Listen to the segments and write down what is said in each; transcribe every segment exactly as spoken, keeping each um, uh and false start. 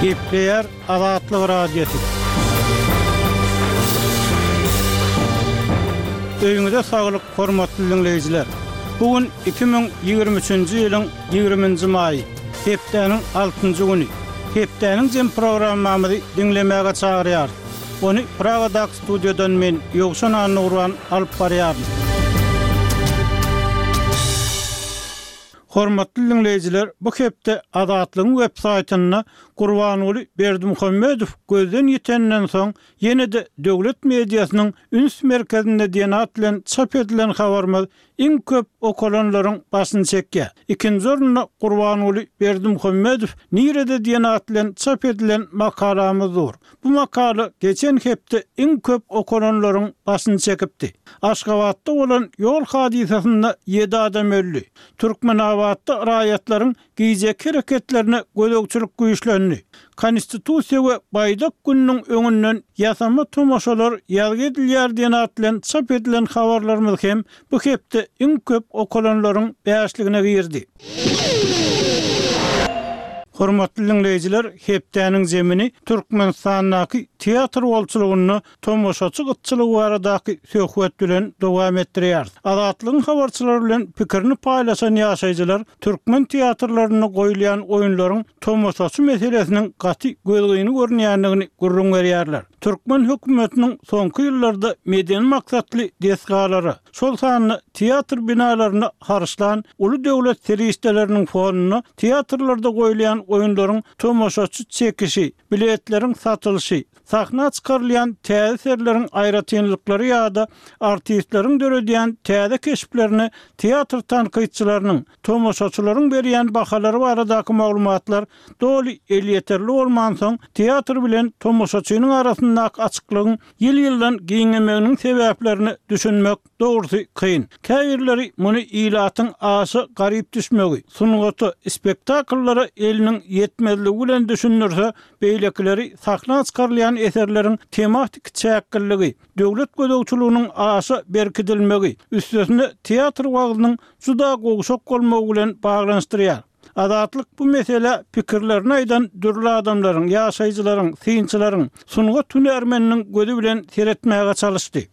Gepleýär Azatlyk Radiosy. Öýüňize saglyk, hormatly diňleýjiler! Bu gün iki müň ýigrimi üçünji ýylyň ýigriminji maýy, hepdäniň altynjy güni. Hepdäniň jem programmamyzy diňlemäge çagyrýarys. Ony Pragadaky studiýadan men, Ýowşan Annagurban alyp barýaryn. Hormatly diňleýjiler, bu hepde Azatlygyň web saýtynda Gurbanguly Berdimuhamedow gözden ýitenden soň ýene-de döwlet mediasynyň üns merkezinde diýen at bilen çap edilen habarymyz iň köp okalanlaryň başyny çekýär. Ikinji orunda Gurbanguly Berdimuhamedow nirede diýen at bilen çap edilen makalamyz dur. Bu makala geçen hepde iň köp okalanlaryň başyny çekipdi. Aşgabatda bolan ýol hadysasynda ýedi adam öldi. Türkmenabatda raýatlaryň gijeki hereketlerine gözegçilik güýçlendi. Konstitusiýa we Baýdak gününiň öňünden ýasama tomaşalar ýazgy edilýär diýen at bilen çap edilen habarlarymyz hem bu hepde iň köp okalanlaryň bäşligine girdi. Hormatly diňleýjiler, hepdäniň zemini Türkmenistandaky teatr bolçulygynda tomaşaçy gytçylygy baradaky söhbet bilen dowam etdirýäris. Azatlygyň habarçylary bilen pikirini paýlaşan ýaşaýjylar türkmen teatrlarynda goýulýan oýunlaryň tomaşaçy meselesiniň gaty gözgyny görünýändigini gürrüň berýärler. Türkmen hökümetiniň soňky ýyllarda medeni maksatly desgalara, şol sanda teatr binalaryna harçlan uly döwlet serişdeleriniň fonunda teatrlarda goýulýan oýunlaryň tomaşaçy çekişi, biletleriň satylyşy, sahna çykarylýan täze eserleriň aýratynlyklary ýa-da artistleriň döredýän täze keşplerine teatr tankytçylarynyň, tomaşaçylaryň berýän bahalary baradaky maglumatlar doly elýeterli bolmansoň, teatr bilen tomaşaçynyň arasyndaky açyklygyň ýyl-ýyldan giňemeginiň sebäplerine düşünmek, dogrusy, kyn. Käbirleri muny ilatyň aşa garyp düşmegi, sungata, spektakllara eliniň ýetmezligi bilen düşündirse, beýlekileri sahna çykarylýan eserleriň tematiki çäkliligi, döwlet gözegçiliginiň aşa berkidilmegi, üstesine teatr wagzynyň juda gowşak bolmagy bilen baglanyşdyrýar. Azatlyk bu meselä pikirlerini aýdan dürli adamlaryň, ýaşaýjylaryň, synçylaryň, sungat hünärmeniniň gözi bilen seretmäge çalyşdy.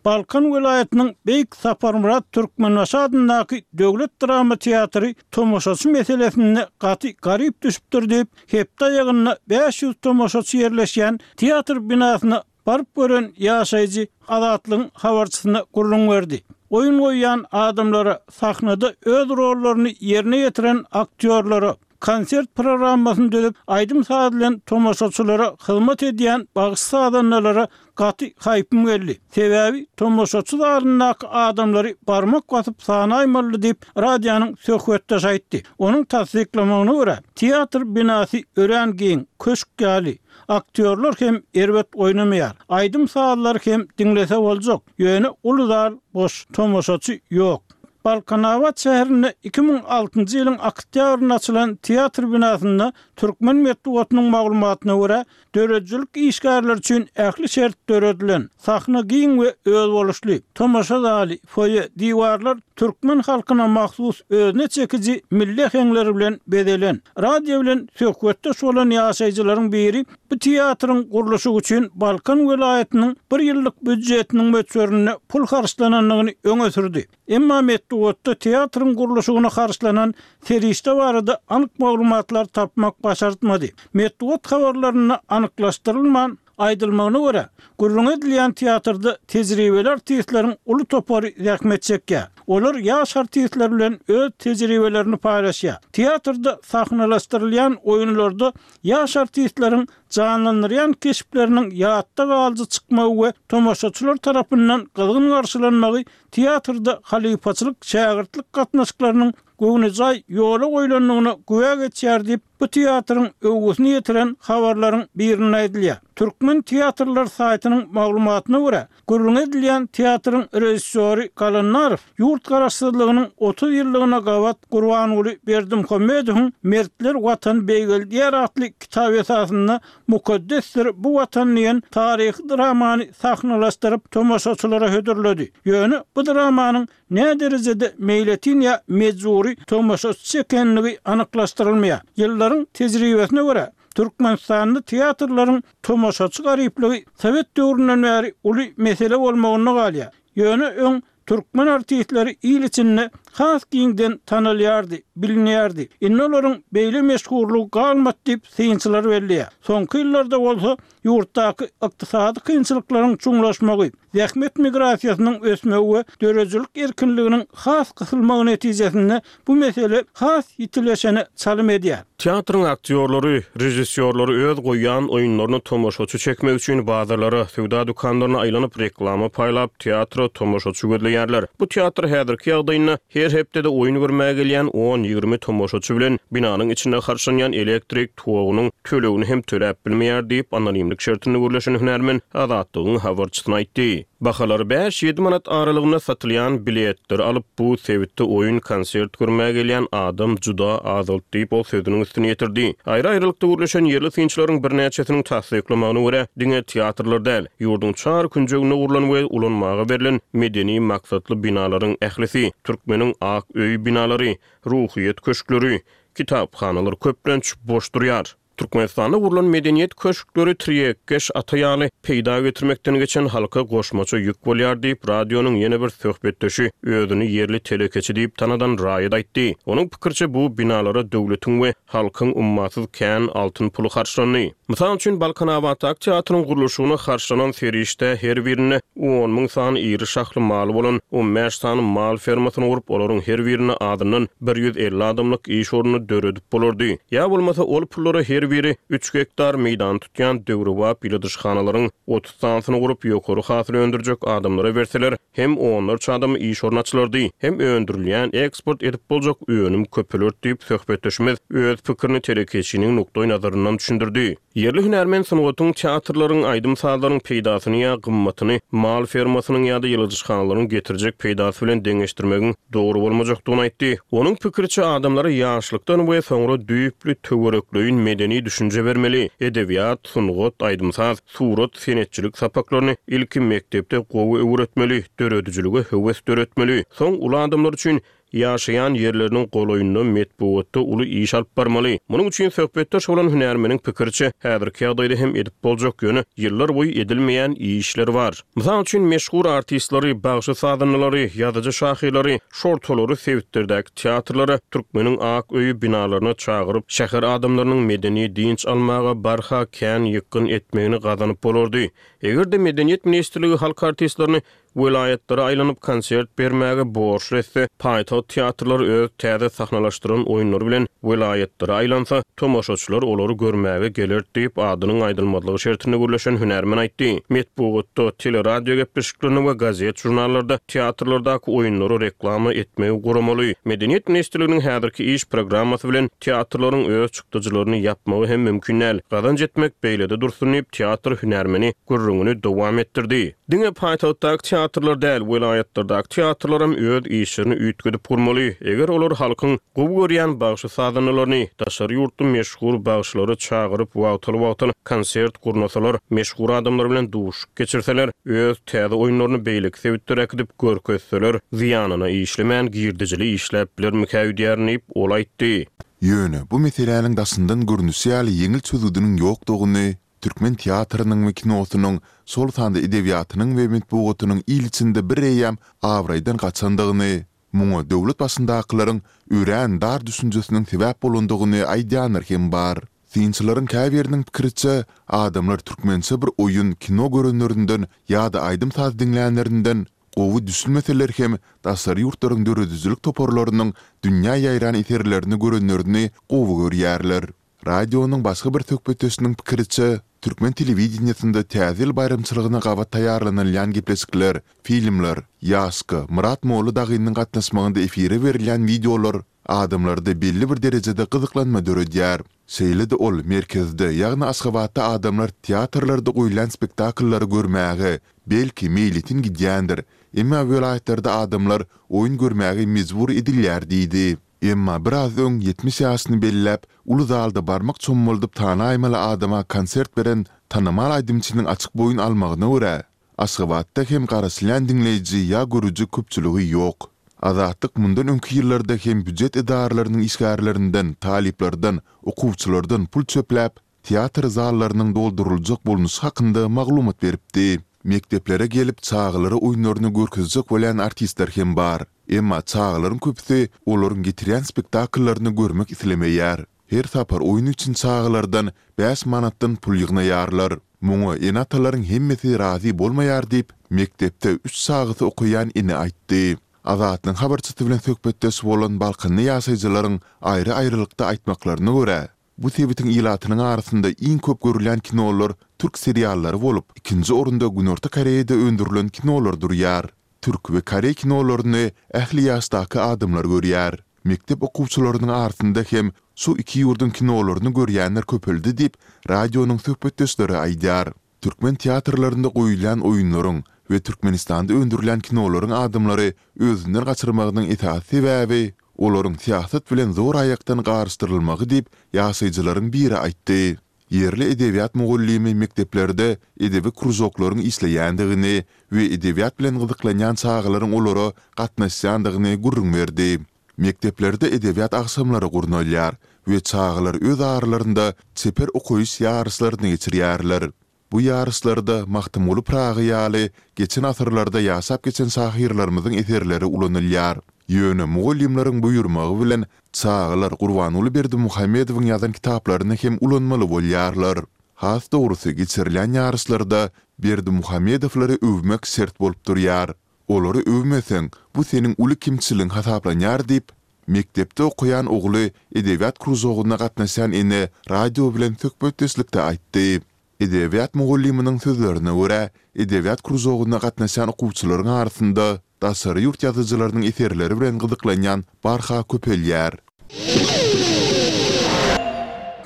Balkan welaýatynyň Beýik Saparmyrat Türkmenbaşy adyndaky döwlet drama teatry tomaşaçy meselesinde gaty garyp düşüpdir diýip, hepde aýagynda bäş ýüz tomaşaçy ýerleşýän teatr binasyna baryp gören ýaşaýjy Azatlygyň habarçysyna gürrüň berdi. Oýun goýýan adamlara, sahnada öz rollaryny ýerine ýetiren aktýorlara, konsert programmasyny düzüp, aýdym-saz bilen tomaşaçylara hyzmat edýän bagşy-sazandalara gaty haýpym geldi. Sebäbi tomaşaçy zalyndaky adamlary barmak basyp sanaýmalydy diýip, radionyň söhbetdeşi aýtdy. Onuň tassyklamagyna görä, teatr binasy örän giň, köşk ýaly. Aktýorlar hem erbet oýnamaýar. Aýdym-sazlary hem diňlese boljak. Ýöne uly zal boş, tomaşaçy ýok. Balkanabat şäherinde iki müň altynjy ýylyň oktýabrynda açylan teatr binasynda türkmen metbugatynyň maglumatyna görä, döredijilik işgärleri üçin ähli şert döredilen. Sahna giň we özboluşly. Tomaşa zaly, foýe, diwarlar türkmen halkyna mahsus özüne çekiji milli äheňler bilen bezelen. Radio bilen söhbetdeş bolan ýaşaýjylaryň biri bu teatryň gurluşygy üçin Balkan welaýatynyň bir ýyllyk býujetiniň möçberinde pul harçlanandygyny öňe sürdi. Emma metbugatda teatryň gurluşygyna harçlanan serişde barada anyk maglumatlar tapmak başartmady. Metbugat habarlarynda anyklaşdyrylman aýdylmagyna görä, gürrüňi edilýän teatrda tejribeli artistleriň uly topary zähmet çekýär. Olar ýaş artistler bilen öz tejribelerini paýlaşýar. Teatrda sahnalaşdyrylýan oýunlarda ýaş artistleriň janlandyrýan keşpleriniň ýatda galyjy çykmagy we tomaşaçylar tarapyndan gyzgyn garşylanmagy teatrda halypaçylyk-şägirtlik gatnaşyklarynyň göwnejaý ýola goýlandygyna güwä geçýär diýip, bu teatryň öwgüsini ýetiren habarlaryň birinde aýdylýar. Türkmen teatrlary saýtynyň maglumatyna görä, gürrüňi edilýän teatryň režissýory Galannarow ýurt garaşsyzlygynyň otuz ýyllygyna gabat Gurbanguly Berdimuhamedowyň Mertler Watany beýgeldýär atly kitaby esasynda Mukaddesdir bu Watan diýen taryhy dramany sahnalaşdyryp, tomaşaçylara hödürledi. Ýöne bu dramanyň näderejede meýletin ýa mejbury tomaşaçy çekenligi anyklaşdyrylmaýar. Ýyllaryň tejribesine görä, Türkmenistanda teatrlaryň tomaşaçy garyplygy sowet döwründen bäri uly mesele bolmagynda galýar. Ýöne öň türkmen artistleri il içinde has giňden tanalýardy, bilinýärdi. Indi olaryň beýle meşhurlygy galmady diýip, synçylar belleýär. Soňky ýyllarda bolsa ýurtdaky ykdysady kynçylyklaryň çuňlaşmagy, zähmet migrasiýasynyň ösmegi we döredijilik erkinliginiň has gysylmagy netijesinde bu mesele has ýitileşene çalym edýär. Teatryň aktýorlary, režissýorlary öz goýýan oýunlaryna tomaşaçy çekmek üçin bazarlara, söwda dükanlaryna aýlanyp reklama paýlap, teatra tomaşaçy gözleýärler. Bu teatr häzirki ýagdaýynda her hepdede oýun görmäge gelýän on-ýigrimi tomaşaçy bilen binanyň içinde harçlanýan elektrik togunyň tölegini hem töläp bilmeýär diýip, anonimlik şertinde gürleşen hünärmen Azatlygyň habarçysyna aýtdy. Bahalary bäş-ýedi manat aralygynda satylýan biletleri alyp, bu sebitde oýun, konsert görmäge gelýän adam juda azaldy diýip, ol sözüniň üstüni ýetirdi. Aýry-aýrylykda gürleşen ýerli synçylaryň birnäçesiniň tassyklamagyna görä, diňe teatrlar däl, ýurduň çar künjeginde gurlan we ulanmaga berlen medeni maksatly binalaryň ählisi, Türkmeniň ak öýi binalary, Ruhyýet köşkleri, kitaphanalar köplenç boş durýar. Türkmenistanda gurlan medeniýet köşkleri tirýekkeş ata ýaly peýda getirmekden geçen halka goşmaça ýük bolýar diýip, radionyň ýene bir söhbetdeşi, özüni ýerli telekeçi diýip tanadan raýat aýtdy. Onuň pikiriçe, bu binalara döwletiň we halkyň ummasyz kän altyn puly harçlandy. Mysal üçin, Balkanabatdaky teatryň gurluşygyna harçlanan serişdä her birinde on müň sany iri şahly maly bolan on bäş sany mal fermasyny gurup, olaryň her birinde azyndan bir ýüz elli adamlyk iş ornuny döredip bolardy. Ýa bolmasa ol pullara her biri üç gektar meýdany tutýan döwrebap ýyladyşhanalaryň otuz sanysyny gurup, ýokary hasyl öndürjek adamlara berseler, hem onlarça adama iş orny açylardy, hem öndürilýän, eksport edip boljak önüm köpelerdi diýip, söhbetdeşimiz öz pikirini telekeçiniň nukdaýnazaryndan düşündirdi. Ýerli hünärmen sungatyň, teatrlaryň, aýdym-sazlaryň peýdasyny ýa gymmatyny mal fermasynyň ýa-da ýyladyşhanalaryň getirjek peýdasy bilen deňeşdirmegiň dogry bolmajakdygyny aýtdy. Onuň pikiriçe, adamlara ýaşlykdan we soňra düýpli töwerekleýin medeni düşünje bermeli, edebiýat, sungat, aýdym-saz, surat, senetçilik sapaklaryny ilki mekdepde gowy öwretmeli, döredijilige höwes döretmeli, soň uly adamlar üçin ýaşaýan ýerleriniň golaýynda metbugatda uly iş alyp barmaly. Munuň üçin söhbetdeş bolan hünärmeniň pikiriçe, häzirki ýagdaýda hem edip boljak, ýöne ýyllar boýy edilmeýän işler bar. Mysal üçin, meşhur artistleri, bagşy-sazandalary, ýazyjy-şahyrlary, şortalary sebitlerdäki teatrlara, Türkmeniň ak öýi binalaryna çagyryp, şäher adamlarynyň medeni dynç almaga barha kän ýykgyn etmegini gazanyp bolardy. Eger-de Medeniýet ministrligi halk artistlerini welaýatlara aýlanyp konsert bermäge borçly etse, paýtagt teatrlary öz täze sahnalaşdyran oýunlary bilen welaýatlara aýlansa, tomaşaçylar olary görmäge geler diýip, adynyň aýdylmazlygy şertinde gürleşen hünärmen aýtdy. Metbugatda, teleradio gepleşiklerinde we gazet-žurnallarda teatrlardaky oýunlary reklama etmegi guramaly. Medeniýet ministrliginiň häzirki iş programmasy bilen teatrlaryň öz çykdajylaryny ýapmagy hem mümkin däl. Gazanç etmek beýlede dursun diýip, teatr hünärmeni gürrüňini dowam etdirdi. Diňe paýtagtdaky teatrlar däl, welaýatlardaky teatrlaram öz işlerini üýtgedip gurmaly. Eger olar halkyň gowy görýän bagşy-sazandalaryny, daşary ýurtly meşhur bagşylary çagyryp wagtal-wagtal konsert gurnasalar, meşhur adamlar bilen duşuşyk geçirseler, öz täze oýunlaryny beýleki sebitlere äkidip görkezseler, zyýanyna işlemän girdejili işläp bilermikä öýdýärin diýip, ol aýtdy. Ýöne bu meseläniň daşyndan görnüşi ýaly ýeňil çözgüdiniň ýokdugyny, türkmen teatrynyň we kinosynyň, şol sanda edebiýatynyň we metbugatynyň il içinde bireýýäm abraýdan gaçandygyny, muňa döwlet başyndakylaryň örän dar düşünjesiniň sebäp bolandygyny aýdýanlar hem bar. Synçylaryň käbiriniň pikiriçe, adamlar türkmençe bir oýun, kino görenlerinden ýa-da aýdym-saz diňlänlerinden gowy düşünmeseler hem daşary ýurtlaryň döredijilik toparlarynyň dünýä ýaýran eserlerini görenlerini gowy görýärler. Radionyň başga bir söhbetdeşiniň pikiriçe, türkmen telewideniýesinde Täze ýyl baýramçylygyna gabat taýýarlanylýan gepleşikler, filmler, Ýaşka, Myrat molla dagynyň gatnaşmagynda efire berilýän wideolar adamlarda belli bir derejede gyzyklanma döredýär. Şeýle-de ol merkezde, ýagny Aşgabatda adamlar teatrlarda goýulýan spektakllary görmäge, belki, meýletin gidýändir, emma welaýatlarda adamlar oýun görmäge mejbur edilýär diýdi. Emma biraz öň ýetmiş ýaşyny belläp, uly zalda barmak çommaldyp tanaýmaly adama konsert beren tanymal aýdymçynyň açyk boýun almagyna görä, Aşgabatda hem garaşylýan diňleýji ýa görüji köpçüligi ýok. Azatlyk mundan öňki ýyllarda hem býujet edaralarynyň işgärlerinden, talyplardan, okuwçylardan pul çöpläp, teatr zallarynyň dolduryljak bolnuşy hakynda maglumat beripdi. Mekdeplere gelip, çagalara oýunlaryny görkezjek bolýan artistler hem bar. Emma çagalaryň köpüsi olaryň getirýän spektakllaryny görmek islemeýär. Her sapar oýun üçin çagalardan bäş manatdan pul ýygnaýarlar. Muňa ene-atalaryň hemmesi razy bolmaýar diýip, mekdepde üç çagasy okaýan ene aýtdy. Azatlygyň habarçysy bilen söhbetdeş bolan balkanly ýaşaýjylaryň aýry-aýrylykda aýtmaklaryna görä, bu sebitiň ilatynyň arasynda iň köp görülýän kinolar türk seriallary bolup, ikinji orunda Günorta Koreýada öndürilen kinolar durýar. Türk we koreý kinolaryny ähli ýaşdaky adamlar görýär. Mekdep okuwçylarynyň arasynda hem şu iki ýurduň kinolaryny görýänler köpeldi diýip, radionyň söhbetdeşleri aýdýar. Türkmen teatrlarynda goýulýan oýunlaryň we Türkmenistanda öndürilýän kinolaryň adamlary özünden gaçyrmagynyň esasy sebäbi olaryň syýasat bilen zoraýakdan garyşdyrylmagy diýip, ýaşaýjylaryň biri aýtdy. Ýerli edebiýat mugallymy mekdeplerde edebi kružoklaryň işleýändigini we edebiýat bilen gyzyklanýan çagalaryň olara gatnaşýandygyny gürrüň berdi. Mekdeplerde edebiýat agşamlary gurnalýar we çagalar öz aralarynda çeper okaýyş ýaryşlaryny geçirýärler. Bu ýaryşlarda Magtymguly Pyragy ýaly geçen asyrlarda ýaşap geçen şahyrlarymyzyň eserleri ulanylýar. Ýöne mugallymlaryň buýurmagy bilen çagalar Gurbanguly Berdimuhamedowyň ýazan kitaplaryny hem ulanmaly bolýarlar. Has dogrusy, geçirilýän ýaryşlarda Berdimuhamedowlary öwmek şert bolup durýar. Olary öwmeseň, bu seniň uly kemçiligiň hasaplanýar diýip, mekdepde okaýan ogly edebiýat kružogyna gatnaşýan ene radio bilen söhbetdeşlikde aýtdy. Edebiýat mugallymynyň sözlerine görä, edebiýat kružogyna gatnaşýan okuwçylaryň arasynda daşary ýurt ýazyjylarynyň eserleri bilen gyzyklanýan barha köpelýär.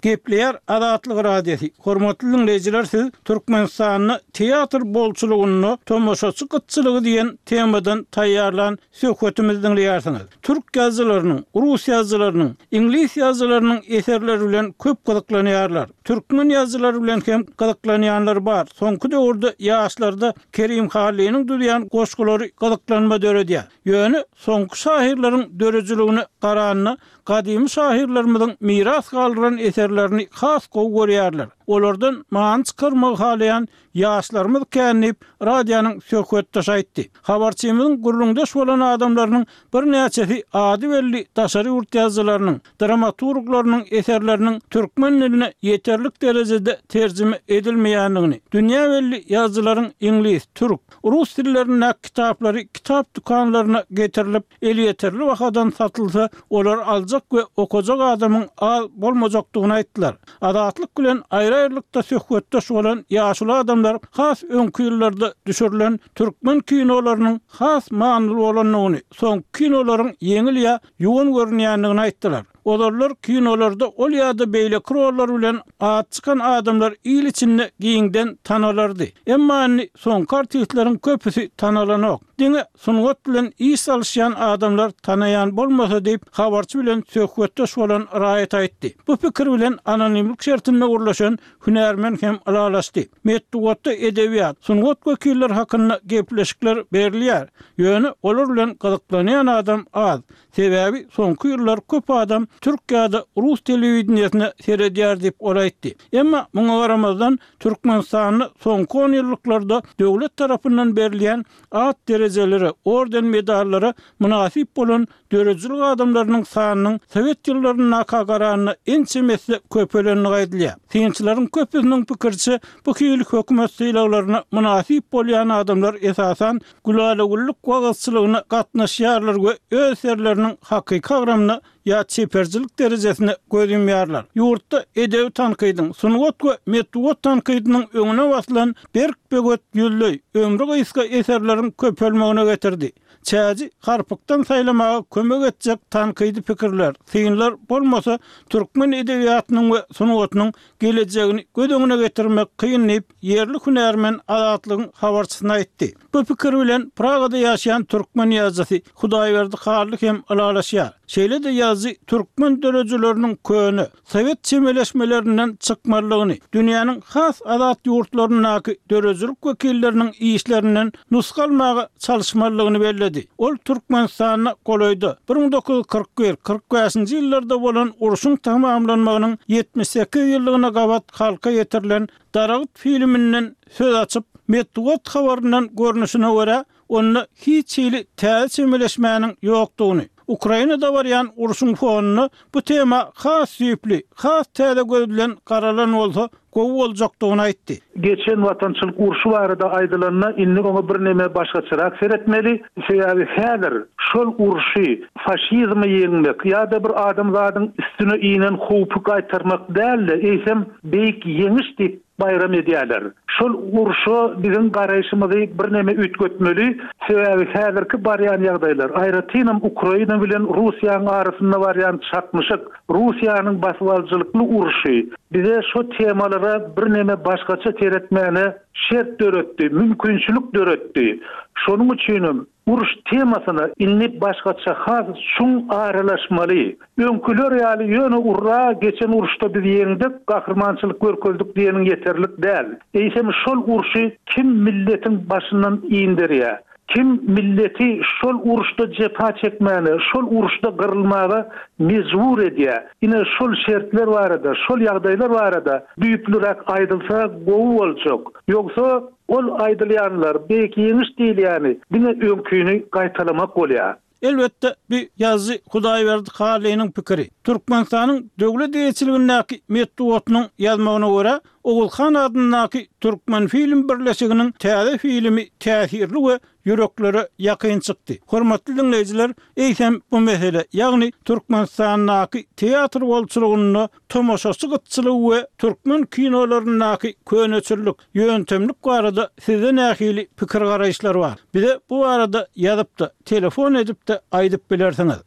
Gepleýär Azatlyk Radiosy, Hormatly diňleýjiler siz Türkmenistanda teatr bolçulygynda tomaşaçy gytçylygy diýen temadan taýýarlan söhbetimizi diňleýärsiňiz. Türk ýazyjylarynyň, rus ýazyjylarynyň, iňlis ýazyjylarynyň eserleri bilen köp gyzyklanýarlar. Türkmen ýazyjylary bilen hem gyzyklanýanlar bar. Soňky döwürde ýaşlarda Kerim Hallynyň düzýän goşgulary gyzyklanma döredýär. Ýöne soňky şahyrlaryň döredijiligine garanda gadymy şahyrlarymyzyň miras galdyran eserlerini has gowy görýärler. Olardan many çykarmagy halaýan ýaşlarymyz kän diýip, radionyň söhbetdeşi aýtdy. Habarçymyzyň gürrüňdeş bolan adamlarynyň birnäçesi ady belli daşary ýurt ýazyjylarynyň, dramaturglarynyň eserleriniň türkmen diline ýeterlik derejede terjime edilmeýändigini, dünýä belli ýazyjylaryň iňlis, türk, rus dillerindäki kitaplary kitap dükanlaryna getirilip, elýeterli bahadan satylsa, olary aljak we okajak adamyň az bolmajakdygyny aýtdylar. Azatlyk bilen aýry-aýrylykda söhbetdeş bolan ýaşuly adamlar has öňki ýyllarda düşürilen türkmen kinolarynyň has manyly bolandygyny, soňky kinolaryň ýeňil ýa ýuwan görünýändigini aýtdylar. Ozallar kinolarda ol ýa-da beýleki rollar bilen ady çykan adamlar il içinde giňden tanalardy. Emma indi soňky artistleriň köpüsi tanalanok. Diňe sungat bilen iş salyşýan adamlar tanaýan bolmasa diýip, habarçy bilen söhbetdeş bolan raýat aýtdy. Bu pikir bilen anonimlik şertinde gürleşen hünärmen hem ylalaşdy. Metbugatda edebiýat, sungat wekilleri hakynda gepleşikler berilýär. Ýöne olar bilen gyzyklanýan adam az. Sebäbi soňky ýyllar köp adam türk ýa-da rus telewideniýesine seredýär diýip, ol aýtdy. Emma muňa garamazdan, Türkmenistanda soňky onýyllyklarda döwlet tarapyndan berilýän at derejelere, orden-medallara mynasyp bolan döredijilik adamlarynyň sanynyň sowet ýyllaryndaka garanda ençeme esse köpelendigi aýdylýar. Synçylaryň köpüsiniň pikiriçe, bu hili hökümet sylaglaryna mynasyp bolýan adamlar esasan gülala-güllük wagyzçylygyna gatnaşýarlar we öz eserleriniň hakyky agramyna ýa çeperçilik derejesine göz ýumýarlar. Ýurtda edebi tankydyň, sungat we metbugat tankydynyň öňüne basylan berk böwet ýüzleý, ömri gysga eserleriň köpelmegine getirdi. Çäji harpykdan saýlamaga kömek etjek tankydy pikirler, synlar bolmasa, türkmen edebiýatynyň we sungatynyň gelejegini göz öňüne getirmek kyn diýip, ýerli hünärmen Azatlygyň habarçysyna aýtdy. Bu pikir bilen Pragada ýaşaýan türkmen ýazyjysy Hudaýberdi Hally hem ylalaşýar. Şeýle-de ýazyjy türkmen döredijileriniň köne, sowet çemeleşmelerinden çykmalydygyny, dünýäniň has azat ýurtlaryndaky döredijilik wekilleriniň işlerinden nusga almaga çalyşmalydygyny belledi. Ol Türkmenistanda golaýda, bir müň dokuz ýüz kyrk bir, kyrk bäşinji ýyllarda bolan urşuň tamamlanmagynyň ýetmiş sekiz ýyllygyna gabat halka ýetirilen Daragt filminden söz açyp, metbugat habaryndan görnüşine görä, onda hiç hili täze çemeleşmäniň ýokdugyny, Ukrainada barýan urşuň fonunda bu tema has düýpli, has täze göz bilen garalan bolsa gowy boljakdygyny aýtdy. Geçen Watançylyk urşy barada aýdylanda, indi oňa birneme başgaçarak seretmeli. Sebäbi häzir şol urşy faşizmi ýeňmek ýa-da bir adamzadyň üstüne inen howpy gaýtarmak däl-de, eýsem beýik ýeňiş diýip bayram edýärler. Şol urşa biziň garaýşymyzy birneme üýtgetmeli. Sebäbi häzirki barýan ýagdaýlar, aýratynam Ukraina bilen Russiýanyň arasynda barýan çaknyşyk, Russiýanyň basybalyjylykly urşy bize şo temalara birneme başgaça seretmäne şert döretdi, mümkinçilik döretdi. Şonuň üçinem uruş temasyna indi başgaça has çuň aralaşmaly. Öňküler ýaly ýöne urra geçen uruşda biz ýeňdik, gahrymançylyk görkezdik diýeniň ýeterlik däl. Eýsem şol urşy kim milletiň başyndan indirýär? Kim milleti şol uruşda jepa çekmäne, şol uruşda gyrylmaga mejbur edýär? Ine şol şertler barada, şol ýagdaýlar barada düýplüräk aýdylsa gowy boljak. Ýogsa ol aýdylýanlar, beýik ýeňiş diýilýäni diňe öňküni gaýtalamak bolýar. Elbetde, bu ýazyjy Hudaýberdi Hallynyň pikiri. Türkmenistanyň döwlet eýeçiligindäki metbugatynyň ýazmagyna görä, Ogulhan adyndaky Türkmenfilm birleşiginiň täze filmi täsirli we ýüreklere ýakyn çykdy. Hormatly diňleýjiler, eýsem bu mesele, ýagny Türkmenistandaky teatr bolçulygynda tomaşaçy gytçylygy we türkmen kinolaryndaky köneçillik, ýöntemlik barada sizde nähili pikir-garaýyşlar bar? Bize bu barada ýazyp-da, telefon edip-de aýdyp bilersiňiz.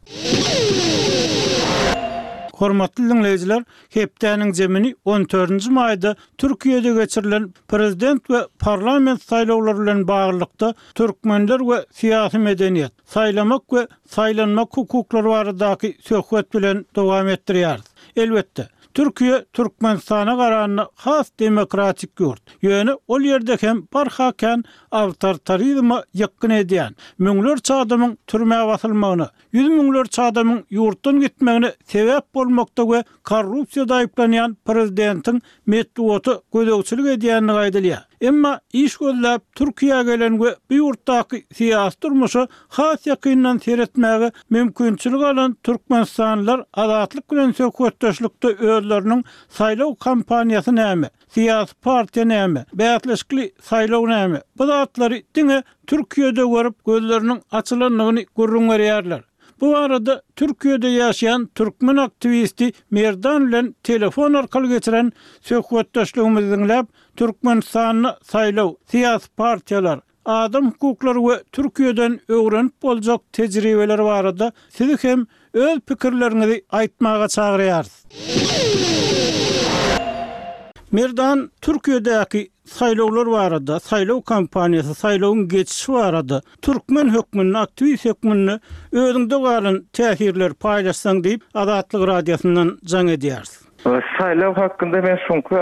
Hormatly diňleýjiler, hepdäniň jemini on dördünji maýda Türkiýede geçirilen prezident we parlament saýlawlary bilen baglylykda türkmenler we syýasy medeniýet, saýlamak we saýlanmak hukuklary baradaky söhbet bilen dowam etdirýäris. Elbetde, Türkiýe Türkmenistana garanda has demokratik ýurt. Ýöne ol ýerde hem barha kän awtoritarizme ýykgyn edýän, müňlerçe adamyň türmä basylmagyna, ýüz müňlerçe adamyň ýurtdan gitmegine sebäp bolmakda we korrupsiýada aýyplanýan prezidentiň metbugata gözegçilik edýändigi aýdylýar. Emma iş gözläp Türkiýä gelen we bu ýurtdaky syýasy durmuşa has ýakyndan seretmäge mümkinçilik alan türkmenistanlylar Azatlyk bilen söhbetdeşlikde özleriniň saýlaw kampaniýasy näme, syýasy partiýa näme, bäsleşikli saýlaw näme, bu zatlary diňe Türkiýede görüp gözleriniň açylandygyny gürrüň berýärler. Bu barada Türkiýede ýaşaýan türkmen aktiwisti Merdan bilen telefon arkaly geçiren söhbetdeşligimizi diňläp, Türkmenistanda saýlaw, syýasy partiýalar, adam hukuklary we Türkiýeden öwrenip boljak tejribeler barada sizi hem öz pikirleriňizi aýtmaga çagyrýarys. Merdan, Türkiýedäki saýlawlar barada, saýlaw kampaniýasy, saýlawyň geçişi barada türkmen hökmünde, aktiwist hökmünde özüňde galan täsirleri paýlaşsaň diýip, Azatlyk Radiosyndan jaň edýäris. Saýlaw hakynda men şuňky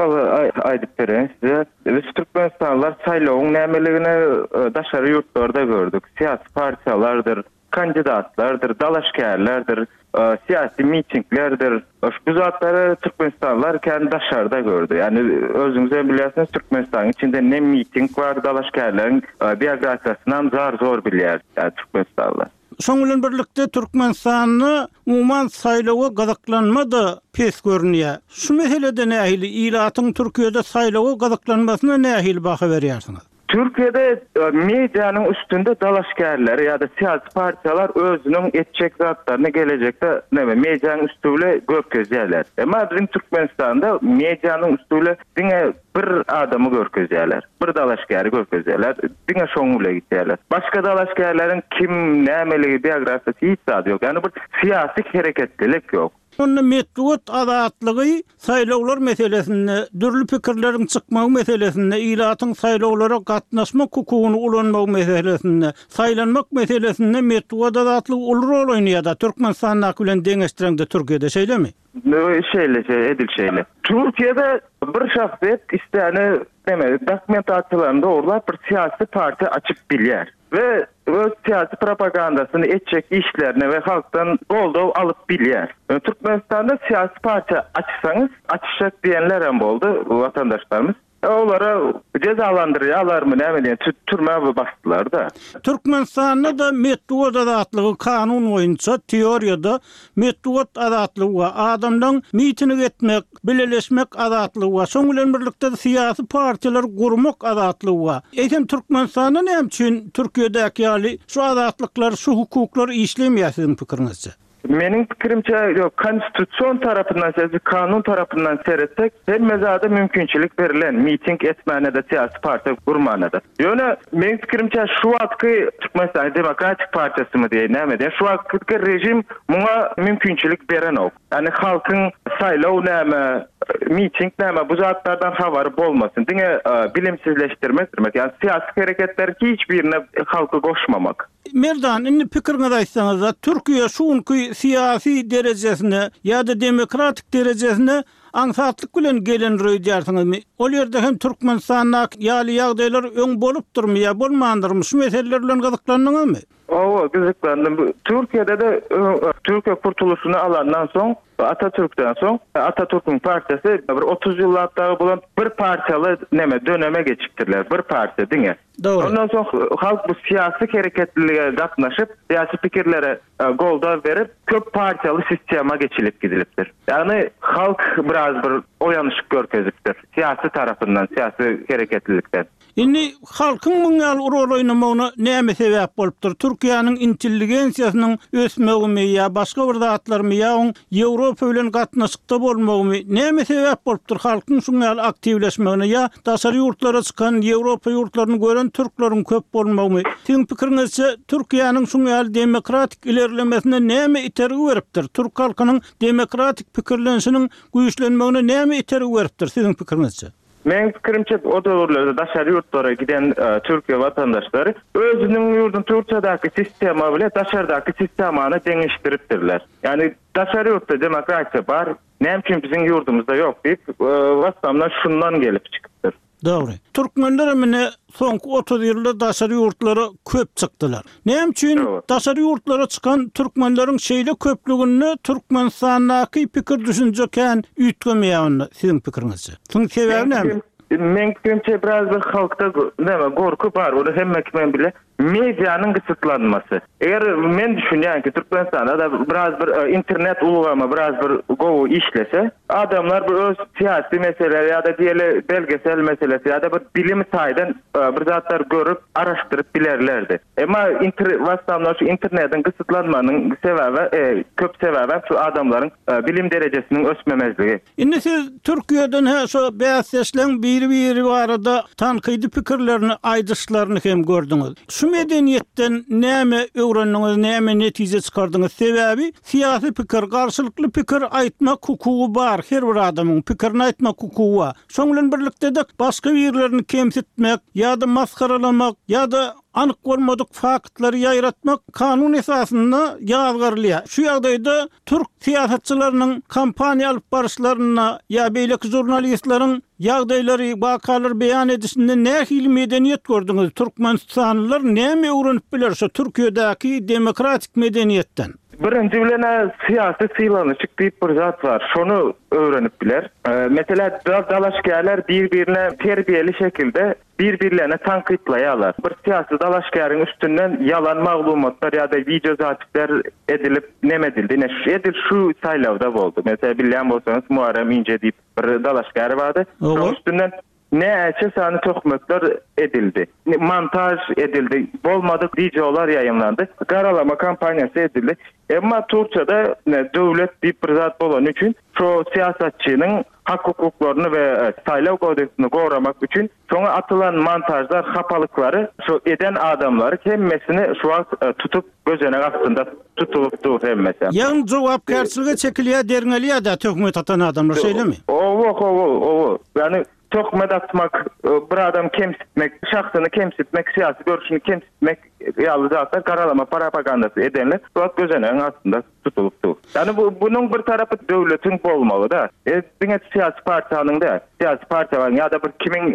aýdyp bereýin size. Biz türkmenistanlylar saýlawyň nämeligini daşary ýurtlarda gördük. Syýasy partiýalardyr, kandidatlardyr, dalaşgärlerdir, syýasy mitinglerdir. Bu zatlary türkmenistanlylar kän daşarda gördü. Ýani özüňiz hem bilýärsiňiz, Türkmenistanyň içinde ne miting bar, dalaşgärleriň biografiýasyndan zar zor bilýär, ýani türkmenistanlylar. Şoň bilen birlikde Türkmenistanda umuman saýlawa gyzyklanma da pes görünýär. Şu meselede nähili ilatyň Türkiýede saýlawa gyzyklanmasyna nähili baha berýärsiňiz? Türkiýede medianyň üstünde dalaşgärler ýa-da syýasy partiýalar özüniň etjek zatlaryny gelejekde näme medianyň üsti bilen görkezýärler. Emma biziň Türkmenistanda medianyň üsti bilen diňe bir adamy görkezýärler. Bir dalaşgäri görkezýärler. Diňe şoň bilen gitýärler. Başga dalaşgärleriň kim, nämeligi, biografiýasy hiç zady ýok. Ýagny bir syýasy hereketlilik ýok. Onda metbugat azatlygy saýlawlar meselesinde, dürli pikirleriň çykmagy meselesinde, ilatyň saýlawlara gatnaşmak hukugyny ulanmagy meselesinde, saýlanmak meselesinde metbugat azatlygy uly rol oýnaýar-da Türkmenistandaky bilen deňeşdireňde Türkiýede şeýlemi? Şeýle, şeýle, edil şeýle. Türkiýede bir şahsyýet isläni näme dokumentasiýalaryny dogurlap bir syýasy partiýa açyp bilýär we öz syýasy propagandasyny etjek işlerini we halkdan goldaw alyp bilýär. Türkmenistanda syýasy partiýa açsaňyz, açjak diýenler hem boldy watandaşlarymyz. Olara jezalandyrýarlarmy näme diýen türmä basdylar-da. Türkmenistanda-da metbugat azatlygy kanun boýunça teoriýada metbugat azatlygy we adamlaryň miting etmek, bileleşmek azatlygy we şoň bilen birlikde syýasy partiýalar gurmak azatlygy bar. Eýsem Türkmenistanda näme üçin Türkiýedäki ýaly şu azatlyklar, şu hukuklar işlemeýär siziň pikiriňizçe? Meniň pikirimçe, ýok, konstitusion tarapyndan, sözü kanun tarapyndan seretsek, hemme zada mümkinçilik berilen, miting etmäne-de, syýasy partiýa gurmana-da. Ýöne meniň pikirimçe şu wagtky Türkmenistan Demokratik Partiýasymy diýe, näme diýe, şu wagtky rejim muňa mümkinçilik berenok. Ýagny halkyň saýlaw näme, miting näme, bu zatlardan habary bolmasyn. Diňe bilimsizleşdirmek, ýagny syýasy hereketler hiç birine halky goşmamak. Merdan, indi pikiriňizi aýtsaňyz-da, Türkiýe şu günki syýasy derejesine ýa-da demokratik derejesine aňsatlyk bilen gelen öýdýärsiňizmi? Ol ýerde hem Türkmenistandaky ýaly ýagdaýlar öň bolupdyrmy ýa bolmandyrmy? Şu meseleler bilen gyzyklandyňyzmy? Owa, gyzyklandym. Türkiýede-de Türkiýe kurtulyşyny alandan soň, Atatürk'ten soň, Atatürk'ün partiýasy bir otuz ýyllap dagy bolan bir partiýaly näme döneme geçipdirler, bir partiýa diňe. Dogry. Ondan soň halk bu syýasy hereketlilige gatnaşyp, syýasy pikirlere goldaw berip, köp partiýaly sistema geçilip gidilipdir. Ýagny halk biraz bir oýanyşyk görkezipdir syýasy tarapyndan, syýasy hereketlilikden. Indi halkyň muň ýaly rol oýnamagyna näme sebäp bolupdyr? Türkiýäniň intelligensiýasynyň ösmegimi ýa başga bir zatlarymy ýa oň Ýewropa bilen gatnaşykda bolmagymy näme sebäp bolupdyr halkyň şuň ýaly aktiwleşmegine ýa daşary ýurtlara çykan Ýewropa ýurtlaryny gören türkleriň köp bolmagymy? Siziň pikiriňizçe Türkiýäniň şuň ýaly demokratik ilerlemesine näme itergi beripdir? Türk halkynyň demokratik pikirlenişiniň güýçlenmegine näme itergi beripdir siziň pikiriňizçe? Meniň pikirimçe o döwürlerde daşary ýurtlara giden Türkiýe watandaşlary özüniň ýurduň Türkiýedäki sistema bilen daşardaky sistemany deňeşdiripdirler. Ýagny daşary ýurtda demokratiýa bar, näme üçin biziň ýurdumyzda ýok diýip, watandaş şundan gelip çykypdyr. Dogry. Türkmenler mine soňky otuz ýylda daşary ýurtlara köp çykdylar. Näme üçin daşary ýurtlara çykan türkmenleriň şeýle köplüginde Türkmenistandaky pikir düşünje kän üýtgemeýär onda siziň pikiriňizçe? Şuň sebäbi näme? Meň pikirimçe biraz bir halkda näme gorky bar, ony hemme kim bile. Medianyň gysytlanmasy. Eger men düşünýän ki Türkmenistanda da biraz bir internet ulgamy biraz bir gowy işlese, adamlar bir öz syýasy meseleler ýa-da diýeli belgesel meselesi ýa-da bir bilim taýdan bir zatlar görüp araşdyryp bilerlerdi. Emma inter WhatsApp'dan şu internetiň gysytlanmanyň sebäbi, köp sebäbi şu adamlaryň bilim derejesiniň ösmemezligi. Indi siz Türkiýeden he şu bäsdeşleň biri-biri barada tankydy pikirlerini aýdyşlaryny hem gördüňiz. Şu medeniýetden näme öwrendiňiz, näme netije çykardyňyz? Sebäbi syýasy pikir, garşylykly pikir aýtmak hukugy bar, her bir adamyň pikirini aýtmak hukugy bar. Şoň bilen birlikde de başga birlerini kemsitmek ýa-da masgaralamak ýa-da anyk bolmadyk faktlary ýaýratmak kanun esasynda ýazgarylýar. Şu ýagdaýda türk syýasatçylarynyň kampaniýa alyp baryşlaryna ýa beýleki žurnalistleriň ýagdaýlary, wakalar beýan edişinde nähili medeniýet gördüňiz? Türkmenistanlylar näme öwrenip biler şu Türkiýedäki demokratik medeniýetden? Birinji bilen syýasy sylanyşyk diýip bir zat bar. Şonu öwrenip biler. Mesela dalaşgärler bir-birine terbiýeli şekilde bir-birlerine tankytlaýarlar. Bir syýasy dalaşgäriň üstünden ýalan maglumatlar ýa-da video zatlar edilip neme edildi? Ne şu edil şu saýlawda boldy. Mesela bilýän bolsaňyz Muharrem Ince diýip bir dalaşgär bardy. Şonuň üstünden Näçe sany töhmetler edildi. Montaž edildi. Bolmadyk wideolar ýaýymlandy. Garalama kampaniýasy edildi. Emma Türkiýede döwlet diýip bir zat bolany üçin şo syýasatçynyň hak hukuklaryny we saýlaw kodeksini goramak üçin şoňa atylan montažlar, hapalyklary şo eden adamlary hemmesini şu wagt tutup gözenek astynda tutulyp dur hemmesi. Ýagny jogapkärçilige çekilýär, derňelýär-de töhmet atan adamlar, şeýlemi? Owa, owa, owa. Ýagny töhmet atmak, bir adam kemsitmek, şahsyny kemsitmek, syýasy görüşini kemsitmek ýaly zatlar garalama propagandasy edenler şu wagt gözenegiň astynda tutulyp dur. Ýagny bu bunuň bir tarapy döwletiň bolmagy-da. E, diňe syýasy partiýanyň däl, syýasy partiýalaryň ýa-da bir kimiň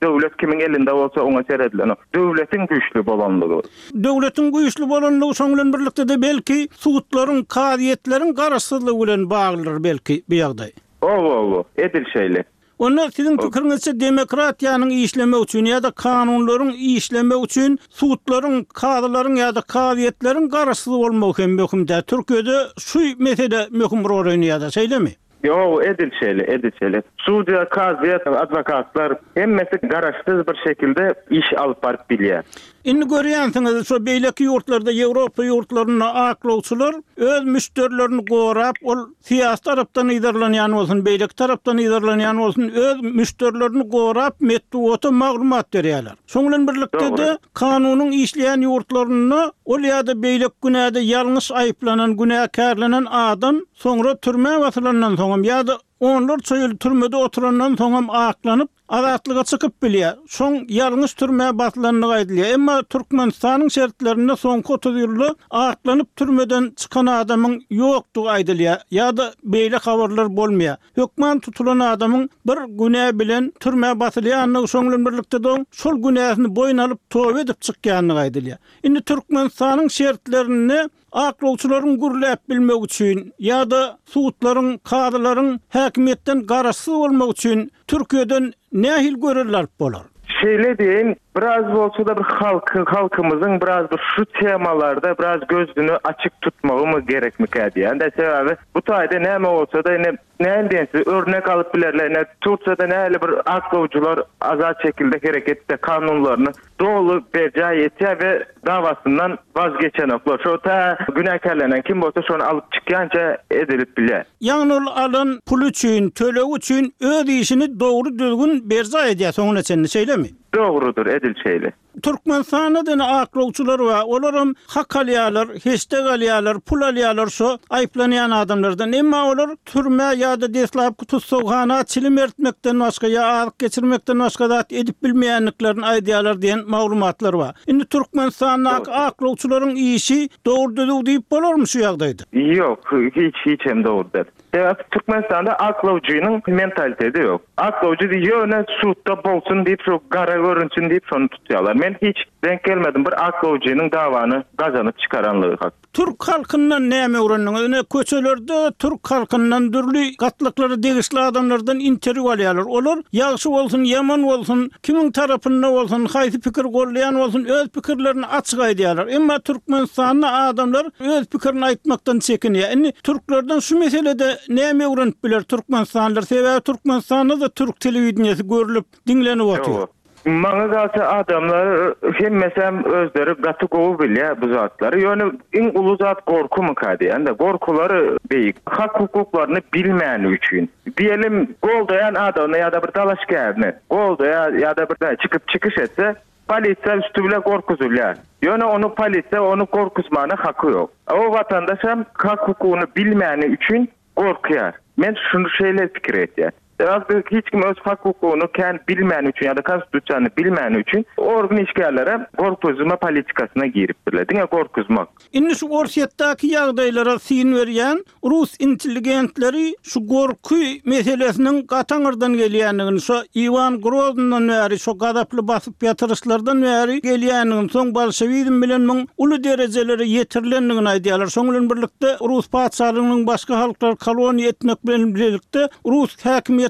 döwlet kimiň elinde bolsa oňa seredilen. Döwletiň güýçli bolanlygy. Döwletiň güýçli bolanlygy şoň bilen birlikde-de belki sudlaryň, kazyýetleriň garaşsyzlygy bilen baglydyr belki bu ýagdaý. Owa, owa, edil şeýle. Onda siziň pikiriňizçe demokratiýanyň işlemegi üçin ýa-da kanunlaryň işlemegi üçin sudlaryň, kazylaryň ýa-da kazyýetleriň garaşsyz bolmagy hem möhüm-dä. Türkiýede şu mesele möhüm rol oýnaýar-da, şeýlemi? Ýok, edil şeýle, edil şeýle. Sudýa, kazyýet, adwokatlar hemmesi garaşsyz bir şekilde iş alyp baryp bilýär. Indi görýänsiňiz, şo beýleki ýurtlarda, Ýewropa ýurtlarynda aklawçylar öz müşderilerini gorap, ol syýasy tarapdan yzarlanýan bolsun, beýleki tarapdan yzarlanýan bolsun, öz müşderilerini gorap metbugata maglumat berýärler. Şoň bilen birlikde-de kanunyň işleýän ýurtlarynda ol ýa-da beýleki günäde ýalňyş aýyplanan, günäkärlenen adam soňra türmä basylandan soňam ýa-da onlarça ýyl türmede oturandan soňam aklanyp azatlyga çykyp bilýär. Şoň ýalňyş türmä basylandygy aýdylýar. Emma Türkmenistanyň şertlerinde soňky otuz ýylda aklanyp türmeden çykan adamyň ýokdugy aýdylýar ýa-da beýle habarlar bolmaýar. Hökman tutulan adamyň bir günä bilen türmä basylýandygy, şoň bilen birlikde de şol günäsini boýun alyp toba edip çykýandygy aýdylýar. Indi Türkmenistanyň şertlerinde aklawçylaryň gürläp bilmek üçin ýa-da sudlaryň, kazylaryň häkimiýetden garaşsyz bolmak üçin Türkiýeden nähili görevler alyp bolar? Şeýle diýeyim, biraz bolsa da bir halky, halkymyzyň biraz bir şu temalarda biraz gözünü açyk tutmagy gerekmikä diýen. De sebäbi bu taýda näme bolsa da ine näme diýen örnek alyp bilerler. Ine Türkiýede näle bir aklawçylar azat şekilde hereket etse kanunlaryny doly berjaý etýär we dawasyndan vazgeçenoklar. Şo ta günäkärlenen kim bolsa şony alyp çykýança edilip bilýär. Ýagny ol alan pul üçin, töleg üçin öz işini dogry düzgün berjaý edýär soňuna çenli, şeýlemi? Dogrudur, edil şeýle. Türkmenistanda da aklawçylar bar. Olaram hak alýarlar, heşdek alýarlar, pul alýarlar şo aýyplanýan adamlardan. Emma olar türmä ýa-da deslapky tutsaghana çilim eritmekden başga ýa azyk geçirmekden başga zat edip bilmeýändiklerini aýdýarlar diýen maglumatlar bar. Indi Türkmenistandaky aklawçylaryň işi dogry düzüw diýip bolarmy şu ýagdaýda? Ýok, hiç hiç hem dogry däl. Sebäbi Türkmenistanda aklawçynyň mentaliteti ýok. Aklawçy ýöne sudda bolsun diýip, şu gara görünsün diýip şony tutýarlar. Men hiç denk gelmedim bir aklawçynyň dawany gazanyp çykaranlygy hak. Türk halkyndan näme öwrendiňiz? Ine köçelerde Türk halkyndan dürli gatlaklara degişli adamlardan interwýu alýarlar. Olar ýagşy bolsun, ýaman bolsun, kimiň tarapynda bolsun, haýsy pikir gollaýan bolsun, öz pikirlerini açyk aýdýarlar. Emma Türkmenistanda adamlar öz pikirini aýtmakdan çekinýär. Indi türklerden şu meselede näme öwrenip biler Türkmenistanlylar? Sebäbi Türkmenistanda da türk telewideniýesi görülip diňlenip otyr. Maňa galsa adamlar hemmesem özleri gaty gowy bilýär bu zatlary. Ýöne iň uly zat gorkumyka diýende, gorkulary beýik. Hak hukuklaryny bilmäni üçin. Diýelim, goldaýan adamyny ýa-da bir dalaşgärini goldaýar ýa-da bir çykyp çykyş etse, polisiýa üstü bile gorkuzulýar. Ýöne onu polisiýa onu gorkuzmana haky ýok. O vatandaş hem hak hukugyny bilmäni üçin gorkýar. Men şunu şeýle pikir etýän. Sebäbi hiç kim öz hak hukugyny kän bilmäni üçin ýa-da konstitusiýany bilmäni üçin organ işgärlere gorkuzma politikasyna giripdirler. Diňe gorkuzmak. Indi şu Orsýetdäki ýagdaýlara syn berýän rus intelligentleri şu gorky meselesiniň gataňyrdan gelýändigini, şu Iwan Grozndan bäri, şu gazaply basyp ýatyryşlardan bäri gelýändigini, soň bolşewizm bilen muň uly derejelere ýetirilendigini aýdýarlar. Şoň bilen birlikde Rus patyşalygynyň başga halklar koloniýa etmek bilen birlikde rus häkimiýetleriniň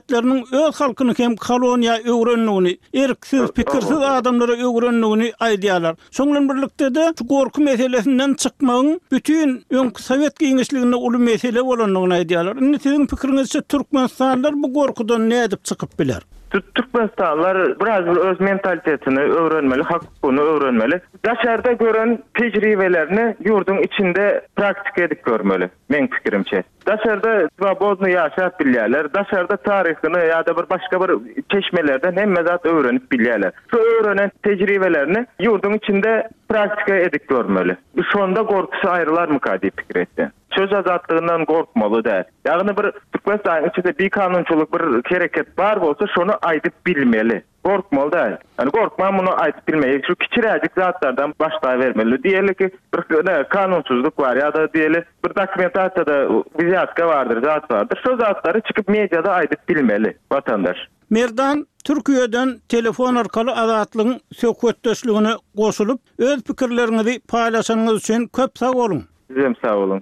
öz halkyny hem koloniýa öwrendigini, erksiz, pikirsiz adamlara öwrendigini aýdýarlar. Şoň bilen birlikde de şu gorky meselesinden çykmagyň bütün öňki Sowet giňişliginde uly mesele bolandygyny aýdýarlar. Indi siziň pikiriňizçe Türkmenistanlylar bu gorkudan nädip çykyp biler? Türkmenistanlylar biraz bir öz mentalitetini öwrenmeli, hak-hukugyny öwrenmeli. Daşarda gören tejribelerini ýurduň içinde praktika edip görmeli, meň pikirimçe. Daşarda swobodny ýaşap bilýärler, daşarda taryhyny ýa-da bir başga bir çeşmelerden hemme zat öwrenip bilýärler. Şu öwrenen tejribelerini ýurduň içinde praktika edip görmeli. Şonda gorkusy aýrylarmyka diýip pikir etýän. Söz azatlygyndan gorkmaly däl. Ýagny bir Türkmenistanyň içinde bikanunçylyk bir hereket bar bolsa şony aýdyp bilmeli. Gorkmaly däl. Ýani gorkman muny aýdyp bilmeli. Şu kiçiräjik zatlardan başlabermeli. Diýeli ki bir ne kanunsyzlyk bar ýa-da diýeli bir dokumentasiýada wzýatka bardyr, zat bardyr. Şo zatlary çykyp mediada aýdyp bilmeli watandaş. Merdan Türkiýeden telefon arkaly Azatlygyň söhbetdeşligine goşulyp, öz pikirleriňizi paýlaşanyňyz üçin köp sag boluň! Sizem sag boluň.